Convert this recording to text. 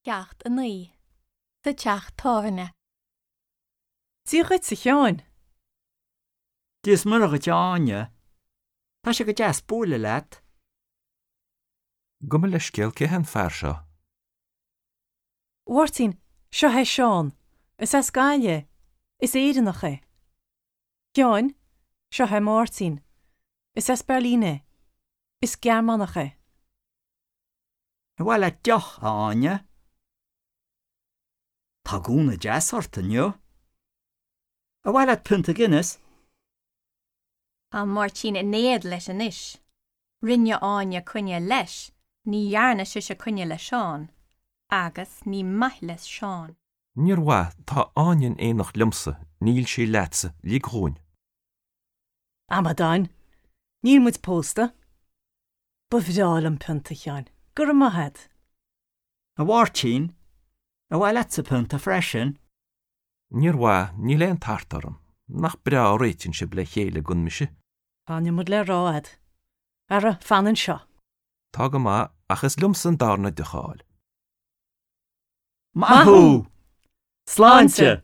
Ceacht 9. Sa teach tábhairne. Dia dhuit, a Sheáin. Dia is Muire dhuit, a Áine. Tá sé go deas bualadh leat. Gabh mo leithscéal, cé hé an fear seo? A Mháirtín, seo é Seán. Is as Gaillimh é. Is Éireannach é. A Sheáin, seo é Máirtín. Is as Beirlín é. Is Gearmánach é. Ar mhaith leat deoch, a Áine? Tá gúna deas ort inniu. Ar mhaith leat pionta Guinness? Tá Máirtín in éad leis anois. Rinne Áine coinne leis, ní dhearna sise coinne le Seán. Agus ní maith le Seán. Níor mhaith, tá Áine in éineacht liomsa, níl sí leatsa, lig dhúinn. Amadáin! Níl muid pósta. Ba bhreá liom pionta, a Sheáin. Go raibh maith a't. A Mháirtín, ar mhaith leatsa pionta freisin? Níor mhaith, níl aon tart orm. Nach breá a réitíonn sibh le chéile gan mise? Tá an iomad le rá a'd. Ara, fan anseo. Tá go maith, ach is liomsa an darna deoch a fháil. Maith thú! Sláinte!